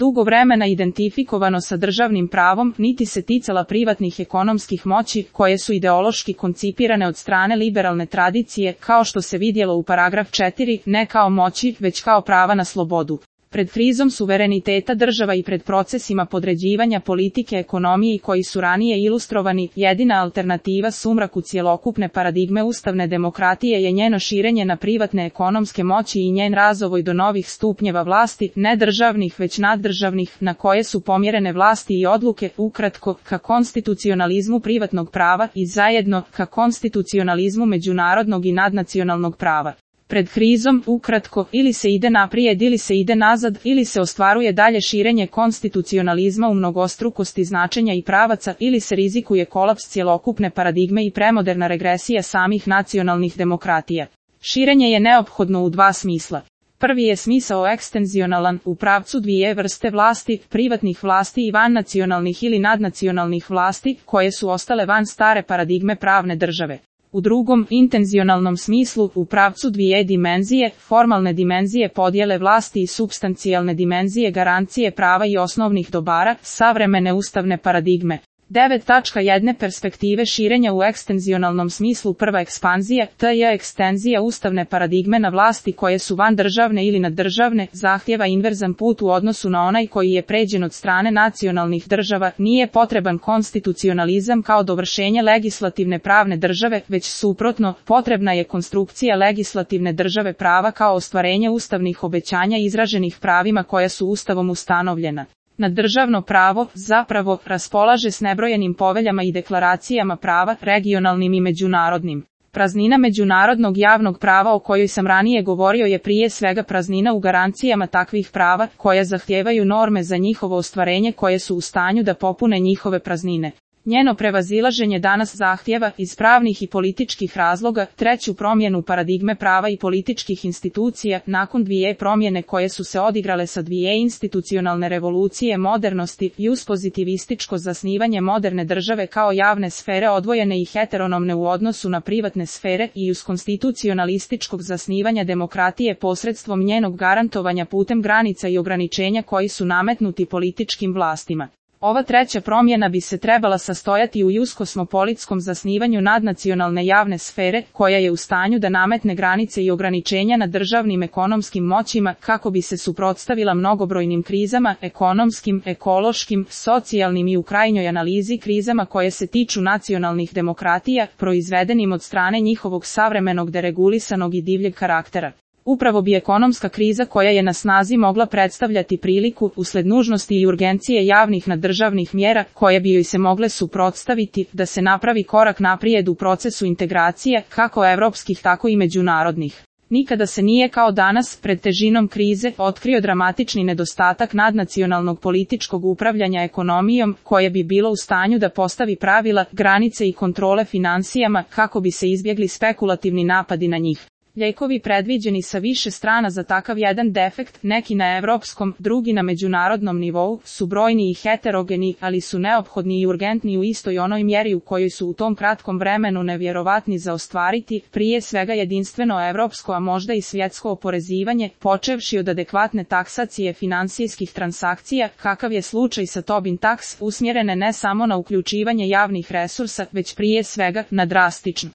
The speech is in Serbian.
dugo vremena identifikovano sa državnim pravom, niti se ticala privatnih ekonomskih moći, koje su ideološki koncipirane od strane liberalne tradicije, kao što se vidjelo u paragraf 4, ne kao moći, već kao prava na slobodu. Pred krizom suvereniteta država i pred procesima podređivanja politike ekonomiji koji su ranije ilustrovani, jedina alternativa sumraku cjelokupne paradigme ustavne demokratije je njeno širenje na privatne ekonomske moći i njen razvoj do novih stupnjeva vlasti, ne državnih već naddržavnih, na koje su pomjerene vlasti i odluke, ukratko, ka konstitucionalizmu privatnog prava i zajedno, ka konstitucionalizmu međunarodnog i nadnacionalnog prava. Pred krizom, ukratko, ili se ide naprijed ili se ide nazad, ili se ostvaruje dalje širenje konstitucionalizma u mnogostrukosti značenja i pravaca, ili se rizikuje kolaps cjelokupne paradigme i premoderna regresija samih nacionalnih demokratija. Širenje je neophodno u dva smisla. Prvi je smisao ekstenzionalan, u pravcu dvije vrste vlasti, privatnih vlasti i vannacionalnih ili nadnacionalnih vlasti, koje su ostale van stare paradigme pravne države. U drugom, intenzionalnom smislu, u pravcu dvije dimenzije, formalne dimenzije podjele vlasti i supstancijalne dimenzije garancije prava i osnovnih dobara, savremene ustavne paradigme. 9.1 Perspektive širenja u ekstenzionalnom smislu. Prva ekspanzija, t.j. ekstenzija ustavne paradigme na vlasti koje su van državne ili naddržavne, zahtjeva inverzan put u odnosu na onaj koji je pređen od strane nacionalnih država. Nije potreban konstitucionalizam kao dovršenje legislativne pravne države, već suprotno, potrebna je konstrukcija legislativne države prava kao ostvarenje ustavnih obećanja izraženih pravima koja su ustavom ustanovljena. Naddržavno pravo, zapravo, raspolaže s nebrojenim poveljama i deklaracijama prava, regionalnim i međunarodnim. Praznina međunarodnog javnog prava o kojoj sam ranije govorio je prije svega praznina u garancijama takvih prava, koja zahtijevaju norme za njihovo ostvarenje koje su u stanju da popune njihove praznine. Njeno prevazilaženje danas zahtjeva, iz pravnih i političkih razloga, treću promjenu paradigme prava i političkih institucija, nakon dvije promjene koje su se odigrale sa dvije institucionalne revolucije modernosti i uz pozitivističko zasnivanje moderne države kao javne sfere odvojene i heteronomne u odnosu na privatne sfere i uz konstitucionalističkog zasnivanja demokratije posredstvom njenog garantovanja putem granica i ograničenja koji su nametnuti političkim vlastima. Ova treća promjena bi se trebala sastojati u juskosmopolitskom zasnivanju nadnacionalne javne sfere, koja je u stanju da nametne granice i ograničenja na državnim ekonomskim moćima, kako bi se suprotstavila mnogobrojnim krizama, ekonomskim, ekološkim, socijalnim i u krajnjoj analizi krizama koje se tiču nacionalnih demokratija, proizvedenim od strane njihovog savremenog deregulisanog i divljeg karaktera. Upravo bi ekonomska kriza koja je na snazi mogla predstavljati priliku, usled nužnosti i urgencije javnih naddržavnih mjera, koje bi joj se mogle suprotstaviti, da se napravi korak naprijed u procesu integracije, kako evropskih tako i međunarodnih. Nikada se nije kao danas, pred težinom krize, otkrio dramatični nedostatak nadnacionalnog političkog upravljanja ekonomijom, koje bi bilo u stanju da postavi pravila, granice i kontrole finansijama, kako bi se izbjegli spekulativni napadi na njih. Lijekovi predviđeni sa više strana za takav jedan defekt, neki na evropskom, drugi na međunarodnom nivou, su brojni i heterogeni, ali su neophodni i urgentni u istoj onoj mjeri u kojoj su u tom kratkom vremenu nevjerovatni za ostvariti, prije svega jedinstveno evropsko, a možda i svjetsko oporezivanje, počevši od adekvatne taksacije finansijskih transakcija, kakav je slučaj sa Tobin Tax, usmjerene ne samo na uključivanje javnih resursa, već prije svega na drastično